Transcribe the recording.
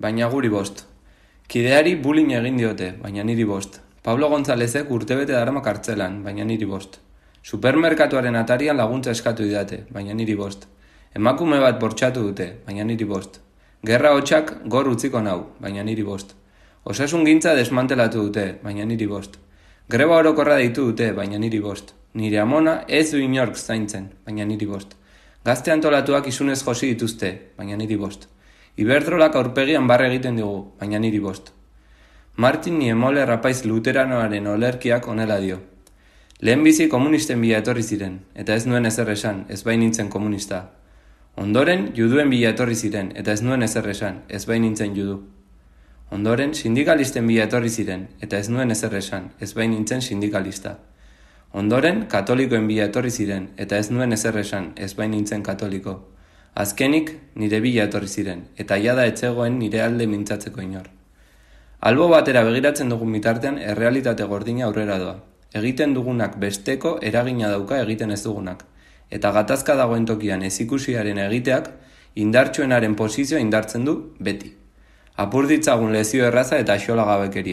baina guri bost. Kideari bullying egin diote, baina niri bost. Pablo Gonzálezek urtebete darama kartzelan, baina niri bost. Supermerkatuaren atarian laguntza eskatu didate, baina niri bost. Emakume bat bortxatu dute, baina niri bost. Gerra hotxak gor utziko nau, baina niri bost. Osasun gintza desmantelatu dute, baina niri bost. Greba orokorra deitu dute, baina niri bost. Nire amona ez du inork zaintzen, baina niri bost. Gazte antolatuak isunez josi dituzte, baina niri bost. Iberdrolak aurpegian barre egiten digu, baina niri bost. Martin Niemöller rapaiz luteranoaren olerkiak onela dio. Lehenbizi komunisten bila etorri ziren, eta ez nuen ezer esan, ez bain nintzen komunista. Ondoren juduen bila etorri ziren, eta ez nuen ezer esan, ez bain nintzen judu. Ondoren sindikalisten bila etorri ziren, eta ez nuen ezer esan, ez bain nintzen sindikalista. Ondoren katolikoen bila etorri ziren, eta ez nuen ezer esan, ez bain nintzen katoliko. Azkenik nire bila etorri ziren, eta jada etzegoen nire alde mintzatzeko inor. Albo batera begiratzen dugun bitartean errealitate gordina aurrera doa. Egiten dugunak besteko eragina dauka egiten ez dugunak. Eta gatazka dagoen tokian ezikusiaren egiteak indartsuenaren posizioa indartzen du beti. Apur ditzagun lezio erraza eta axolagabekeria.